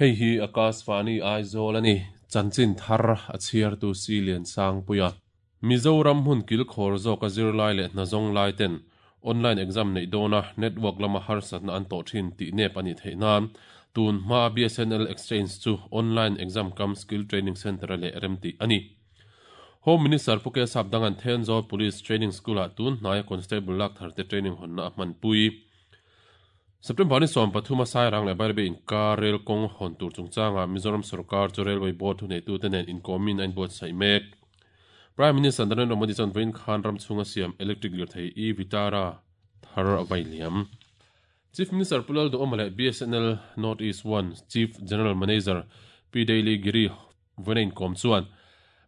Hei hi Akashvani Aizawl a ni. Chanchin thar a chhiartu Si Liansangpuia. Mizoram hmun kilkhawr zawka zirlai leh hnazawng lai ten online exam neih dawna network lama harsatna an tawh thin tih nep a nih theih nan tun hmaa BSNL Exchange chu online exam cum skill training centre-a leh remtih a ni. Home Minister Pu Kesap Dangan Thenzawl Police Training School-ah tun hnaia Constable lak tharte training hawnna a hmanpui. September ni 13 a Sairang leh Bairabi inkar rel kawng hawn tur chungchangah Mizoram sorkar chu Railway Board thuneitute nen inkawmin a inbuatsaih mek. Prime Minister Narendra Modi chuan vawiin khan ram chhunga siam electric lirthei e-Vitara thar a vai liam. Chief Minister Pu Lalduhawma leh BSNL North East One Chief General Manager Pi Daily Giri Vawiina inkawm chuan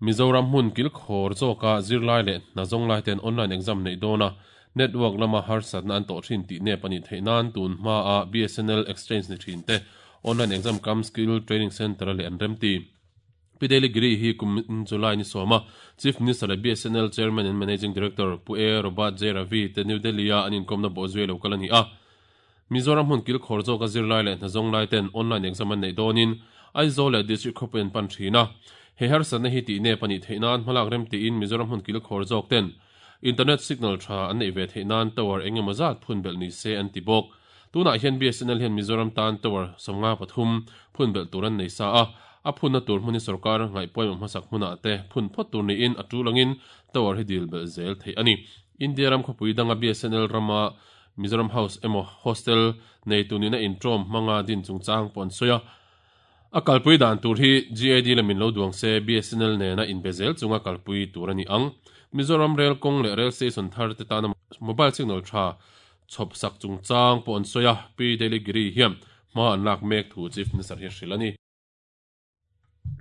Mizoram hmun kilkhawr zawka zirlai leh hna zawng lai ten online exam neih dawna network lama harsatna an tawh thin tih nep a nih theih nan tun hmaa BSNL exchange ni thin te online exam cum skill training centre a leh an remti. Pi Daily Giri hi kum July ni sawma Chief Minister leh BSNL Chairman and Managing Director Pu A Robert J Ravi te New Delhi-a an inkawmna bawhzui a lo kal a ni a. Mizoram hmun kilkhawr zawka zirlai leh hnazawng lai ten online exam an neih dawnin Aizawl leh District khawpui an pan thin a. He harsatna hi tih nep a nih theih nan hmalak rem tiin Mizoram hmun kilkhawr zawk ten internet signal tha an neih ve theih nan tower eng emaw zat phun belh ni se an ti bawk. Tunah hian BSNL hian Mizoram tan tower 53 phun belh tur an nei sa a, a phunna tur hmun hi sorkar ngaihpawimawh hmasak hmunah te phun phawt tur niin a tul angin tower hi dil belh zel theih a ni. India ram khawpui danga BSNL rama Mizoram House emaw Hostel neitu nihna intawm hmanga din chungchang pawh an sawi a. A kalpui dan tur hi GAD lamin lo duang se BSNL nena inbe zel chunga kalpui tur a ni ang. Mizoram Rail kawng leh Rail Station thar te tana mobile signal tha chhawp sak chungchang pawh an sawi a, Pi Daily Giri hian hma an lak mek thu Chief Minister hi a hrilh a ni.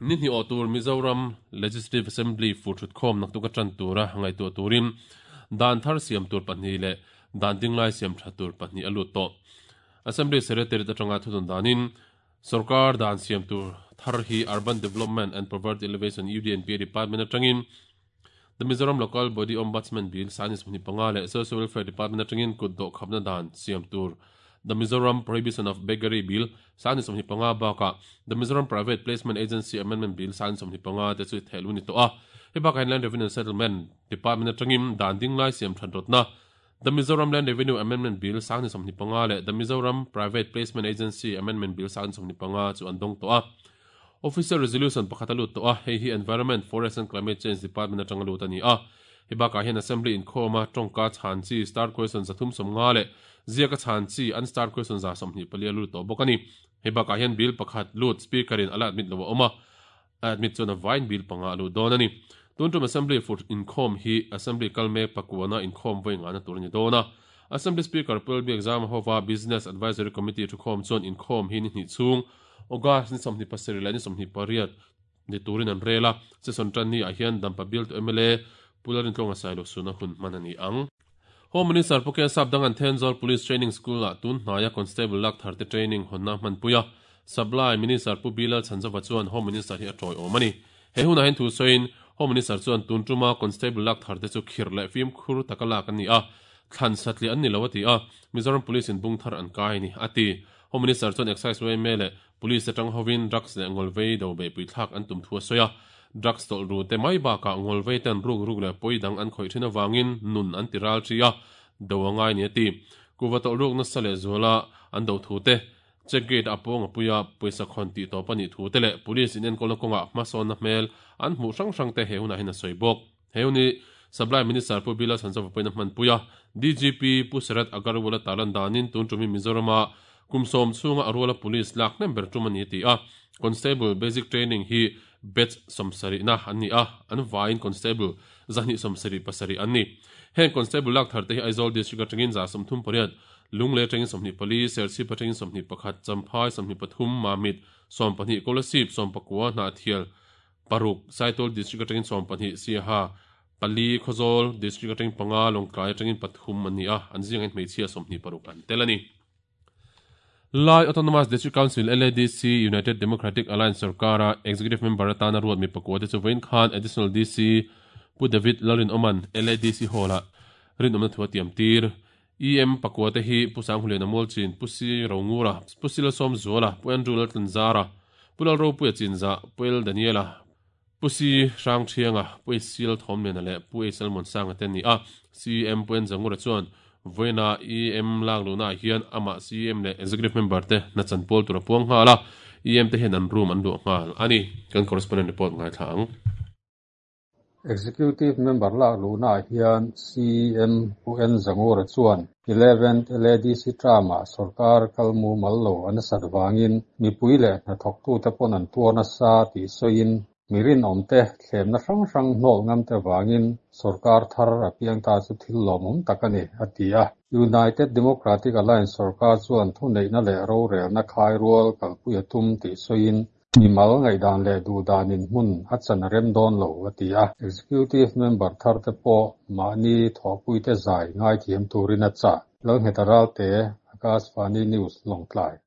Ni hnih awh tur Mizoram Legislative Assembly fur thutkhawm naktuk a tan tura ngaihtuah turin dan thar siam tur pahnih leh dan dinglai siam tha tur pahnih a lut tawh. Assembly Secretariat atanga thudun danin sorkar dan siam tur thar hi Urban Development and Poverty Alleviation UDNPA Department atangin The Mizoram Local Body Ombudsman Bill 2025 leh Social Welfare Department atangin kut dawh khapna dan siam tur The Mizoram Prohibition of Beggary Bill 2025 bakah The Mizoram Private Placement Agency Amendment Bill 2025 te chu thehluh a ni tawh a. Hei bakah hian Land Revenue and Settlement Department atangin dan dinglai siam that rawtna The Mizoram Land Revenue Amendment Bill 2025 leh The Mizoram Private Placement Agency Amendment Bill 2025 chu an dawng tawh a. Official Resolution pakhat a lut tawh a, hei hi Environment, Forest and Climate Change Department atanga lut a ni a. Hei bakah hian Assembly inkhawma tawngka chhan chi star question 350 leh ziaka chhan chi unstarred question 124 a lut tawh bawk a ni. Hei bakah hian bill pakhat lut Speaker in a la admit lo a awm a, a admit chuan a vaiin bill panga a lut dawn a ni. Tun tum Assembly fur inkhawm hi Assembly kal mek pakuana inkhawm vawi ngahna tur a ni dawn a. Assembly Speaker Pu Lalbiakzama hova Business Advisory Committee thukhawm chuan inkhawm hi ni hnih chhung August ni 27 leh ni 28 ni turin an rel a, session tan ni ah hian Dampa bialtu mla Pu Lalrintlawnga Sailo suna hun hman a ni ang. Home Minister Pu Ken Sapdanga'n Thenzawl Police Training School ah tun hnaia Constable lak tharte training hawnna a hmanpui a, Supply Minister Pu Bilal Chhanzova chuan Home Minister hi a tawiawm a ni. He hunah hian thu sawiin Home Minister chuan tun tuma Constable lak tharte chu khirh leh fimkhur taka lak an ni a, thlan satliah an ni lo a ti a, Mizoram Police in bung thar an kai a ni, a ti. Home Minister chuan Excise yma leh Police atang hovin drugs leh ngawlvei do beihpui thlak an tum thu a sawi a, drugs tawlh ru te mai bakah ngawlvei ten ruk ruk leh pawi dang an khawih thin avangin nun an ti ral thi a, do a ngai ni a ti. Kuhva tawlh ruk nasa leh zuala an do thu te, check gate a pawng a pui a, pawisa khawn tih tawp a nih thu te leh Police inenkawlna kawngah hmasawnna hmel an hmuh hrang hrang te he hunah hian a sawi bawk. He hun hi Supply Minister Pu Bilal Chhanchawva pawhin a hmanpui a, DGP Pu Sarath Agarwal a tarlan danin tun tum hi Mizorama kum sawm chhunga a ruala police lak hnem ber tum a ni a ti a. Constable Basic Training hi batch sawmsarihna an ni a, an vaiin Constable 277 an ni. Heng Constable lak thar te hi Aizawl District atangin 38, Lunglei atangin 24, Serchhip atangin 21, Champhai 23, Mamit 12, Kolasib 19, Hnahthial Paruk, Saitual District atangin 12, Siaha, pali, Khawzawl District atangin panga, Lawngtlai atangin pathum an ni a, an zingah hian hmeichhia 26 an tel a ni. Lai Autonomous District Council, LADC, United Democratic Alliance sorkara Executive Member atana ruat mi pakua te chu vawiin khan Additional DC Pu David Lalrinawma'n LADC Hall-ah rinawmna thu a tiam tir. EM pakua te hi Pu Sanghuliana Mualchin, Pu Si Rongura, Pu Silasawmzuala, Pu Andrew Laltlanzara, Pu Lalropuia Chinzah, Pu El Daniela, Pu Si Hrangthianga, Pu Esial Thawmliana leh Pu Eisal Muansanga te an ni a. CEM Pu Enzangura chuan vawiina EM lak luhnaah hian amah CEM leh Executive Member te hna chan pawl tur a puang nghal a, EM te hian an room an luah nghal a ni. Kan correspondent report ngaithla ang. Executive Member lak luhnaah hian CEM Pu Enzangura chuan Eleventh LADC term-ah sorkar kal mumal lo a nasat vangin mipui leh hnathawktute pawn an tuar nasa tih sawiin mi rinawmte thlemna hrang hrang hnawl ngamte vangin sorkar thar a piang ta chu thil lawmawm tak a ni, a ti a. United Democratic Alliance sorkar chuan thuneihna leh rorelna khai rual kalpui a tum tih sawiin Mimal ngaihdan leh duhdanin hmun a chan a rem dawn lo, a ti a. Executive member tharte pawh mahni thawhpuite zai ngaithiam turin a chah. Lalngheta Ralte, Akashvani News, Lawngtlai.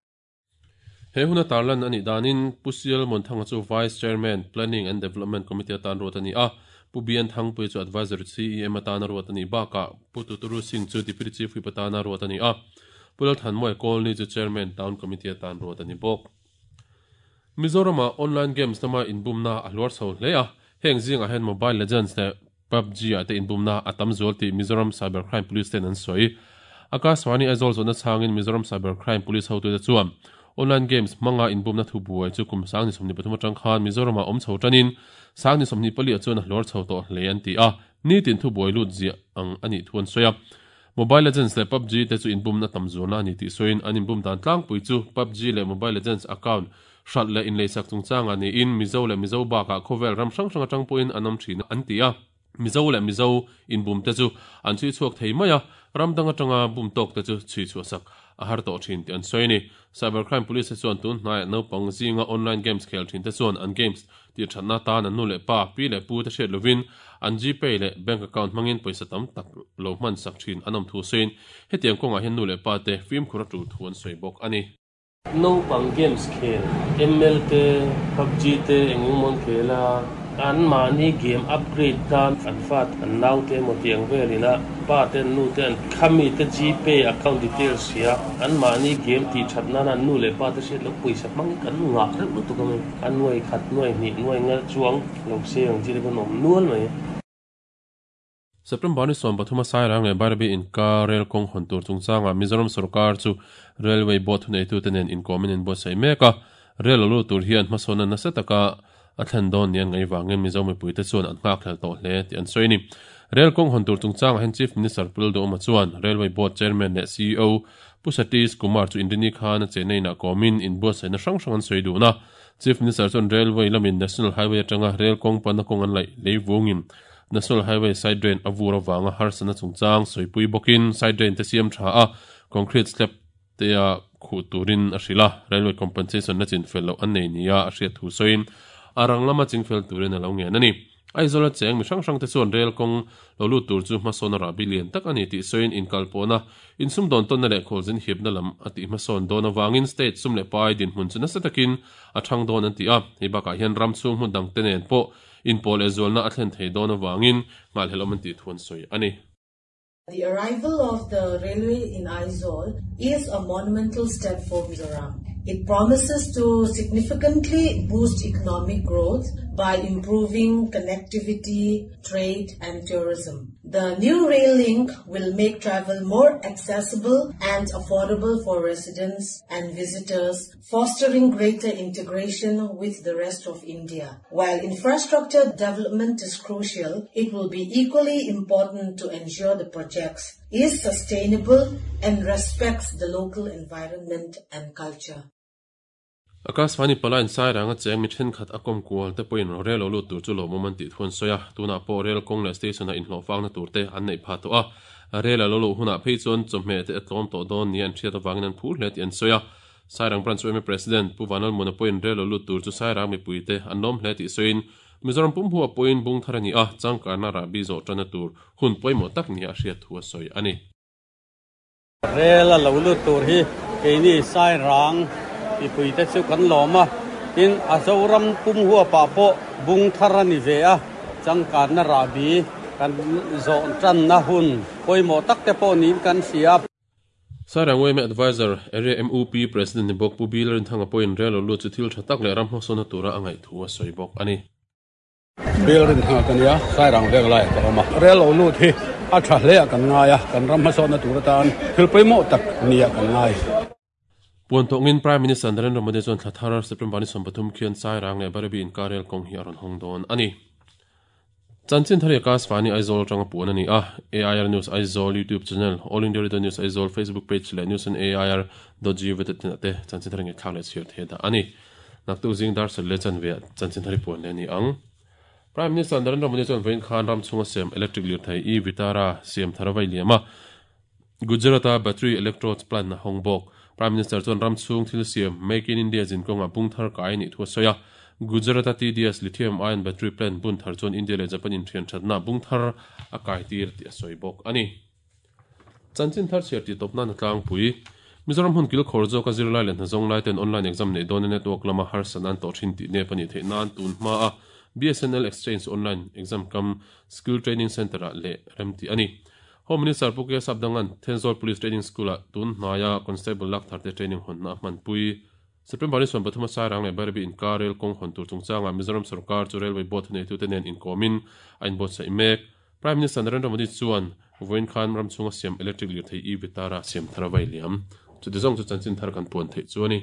He huna tarlan a nih danin Pu Sial Muanthanga chu Vice Chairman, Planning and Development Committee atan ruat a ni a, Pu Bian Thangpui chu Advisory CEM atana ruat a nih bakah Pu Tuturu Singh chu Deputy Chief Whip atana ruat a ni a, Pu Lalthanmawia Kawlni chu Chairman, Town Committee atan ruat a ni bawk. Mizoramah online games lama inbumna a hluar chho hle a, heng zingah hian Mobile Legends leh PUBG ah te inbumna a tam zual tih Mizoram Cyber Crime Police ten an sawi. Akashvani Aizawl zawhna chhangin Mizoram Cyber Crime Police hotute chuan online games hmanga inbumna thu buai chu kum 2023 atang khan Mizoramah awm chho tanin 2024 ah chuan a hluar chho tawh hle an ti a, nitin thu buai lut ziah ang a nih thu an sawi a. Mobile Legends leh PUBG te chu inbumna tam zualna a ni tih sawiin an inbum dan tlangpui chu PUBG leh Mobile Legends account hralh leh inleisak chungchangah niin Mizo leh Mizo bakah khawvel ram hrang hrang atang pawhin an awm thin an ti a. Mizo leh Mizo inbum te chu an chhui chhuak thei mai a, ram dang atanga bum tawk te chu chhui chhuahsak a har tawh thin tih an sawi a ni. Cybercrime Police te chuan tun hnaiah naupang zinga online games khel thin te chuan an games tih thatna atan an nu leh pa, pi leh pu te hriat lovin an Gpay leh bank account hmangin pawisa tam tak lo hman sak thin an awm thu sawiin hetiang kawngah hian nu leh pa te fimkhur a tul thu an sawi bawk a ni. Naupang games khel, ML te, PUBG te eng eng maw an khel a, anmahni game upgrade tan an fa an naute emaw tiang velin a pa te an nu te an khami te Gpay account details hria, anmahni game tih that nana an nu leh pa te hriat loh pawisa hmang hi kan ngah reuh lutuk a mai. A nuai khat, nuai hnih, nuai ngal chuang lo se ang chi te pawn awm nual mai. September ni 13 a Sairang leh Bairabi inkar rel kawng hawn tur chungchangah Mizoram sorkar chu Railway Board thuneitute nen inkawmin an buatsaih mek a. Rel lo lut tur hian hmasawnna nasa taka a thlen dawn ni an ngaih vangin Mizo mipuite chuan an nghakhlel tawh hle tih an sawi a ni. Rel kawng hawn tur chungchangah hian Chief Minister Pu Lalduhawma chuan Railway Board Chairman leh ceo Pu Satish Kumar chu Inrini khan a chenna inah kawmin inbuatsaihna hrang hrang an sawi dun a. Chief Minister chuan Railway lamin National Highway atanga rel kawng panna kawng an laih lei vungin National Highway side drain a vur avanga harsatna chungchang sawipui bawkin side drain te siam tha a, concrete slab te a khuh turin a hrilh a, Railway compensation la chinfel loh an nei nia a hriat thu sawiin a rang lama chingfel turin a lo ngen a ni. Aizawl a cheng mi hrang hrang te chuan rel kawng lo lut tur chu hmasawn a rahbi lian tak a ni tih sawiin inkalpawhna, insumdawn tawnna leh khualzin hipna lam a tih hmasawn dawn avangin state sum leh pai dinhmun chu nasa takin a thang dawn an ti a, hei bakah hian ram chhung hmun dangte nen pawh inpawh leh zualna a thlen thei dawn avangin nghahhlelawm an tih thu an sawi a ni. The arrival of the railway in Aizawl is a monumental step for Mizoram. It promises to significantly boost economic growth by improving connectivity, trade and tourism. The new rail link will make travel more accessible and affordable for residents and visitors, fostering greater integration with the rest of India. While infrastructure development is crucial, it will be equally important to ensure the projects is sustainable and respects the local environment and culture. Akashvani palain Sairanga cheng mi thenkhat a kawm kual te pawhin rel lo lut tur chu lawmawm an tih thu an sawi a, tunah pawh rel kawng leh station ah inhlawhfakna tur te an neih phah tawh a, rel a lo luh hunah phei chuan chawhmeh te a tlawm tawh dawn nia an hriat avangin an phur hle tih an sawi a. Sairang Branch yma President Pu Vanlalmuna pawhin rel lo lut tur chu Sairang mipuite an lawm hle tih sawiin, Mizoram pum hua pawhin bung thar a ni a, changkanna rahbi zawh tanna tur hun pawimawh tak nia a hriat thu a sawi a ni. Rel a lo lut tur hi keini Sairang mipuite chu kan lawm a, tin a Zoram pum huapah pawh bung thar a ni ve a, changkanna rahbi. kan zawh tanna hun pawimawh tak te pawh niin kan hria. Sairang yma Adviser, Area MUP President ni bawk Pu Bill Rinthanga pawhin rel lo lut chu thil tha tak leh ram hmasawnna tura a ngaih thu a sawi bawk a ni. Bill Rinthanga ka nia, Sairang veng laiah ka awm a. Rel lo lut hi a tha hle ah kan ngai a, kan ram hmasawnna tur atan thil pawimawh tak nia kan ngai. Puan tawngin Prime Minister Narendra Modi chuan thla thar September ni 30 khian Sairang leh Bairabi inkar rel kawng hi a rawn hawng dawn a ni. Chanchin thar hi Akashvani Aizawl atanga puan a ni a, AIR News Aizawl YouTube channel, All India Radio News Aizawl Facebook page leh News on AIR dot gov dot in ah te chanchin thar ngaihthlak leh chhiar thei dah a ni. Naktuk zing dar sat leh chanve ah chanchin thar hi puan leh a ni ang. Prime Minister Narendra Modi chuan vawiin khan ram chhunga siam electric lirthei e-Vitara siam thar a vai liam a, Gujarat-a battery electrodes plant a hawng bawk. Prime Minister chuan ram chhung thil siam Make in India zin kawngah bung thar kai a nih thu a sawi a. Gujarat-a TDS lithium-ion battery plant bun thar chuan India leh Japan inthian thatna bung thar a kai tir tih a sawi bawk a ni. Chanchin thar chhiar tih tawp nan a tlangpui. Mizoram hmun kilkhawr zawka zirlai leh hnazawng lai ten online exam neih dawna network lama harsatna an tawh thin tih nep a nih theih nan tun hma a BSNL Exchange online exam kam Skill Training Centre-ah leh remtih a ni. Home Minister Pu K Sapdanga'n Thenzawl Police Training School-ah tun hnaia Constable lak tharte training hawnna a hmanpui. September ni 13 a Sairang leh Bairabi inkar rel kawng hawn tur chungchangah Mizoram sorkar chu Railway Board thuneitute nen inkawmin a inbuatsaih mek. Prime Minister Narendra Modi chuan vawiin khan ram chhunga siam electric lirthei e-Vitara siam thar a vai liam. Chuti zawng chu chanchin thar kan puan theih chu a ni.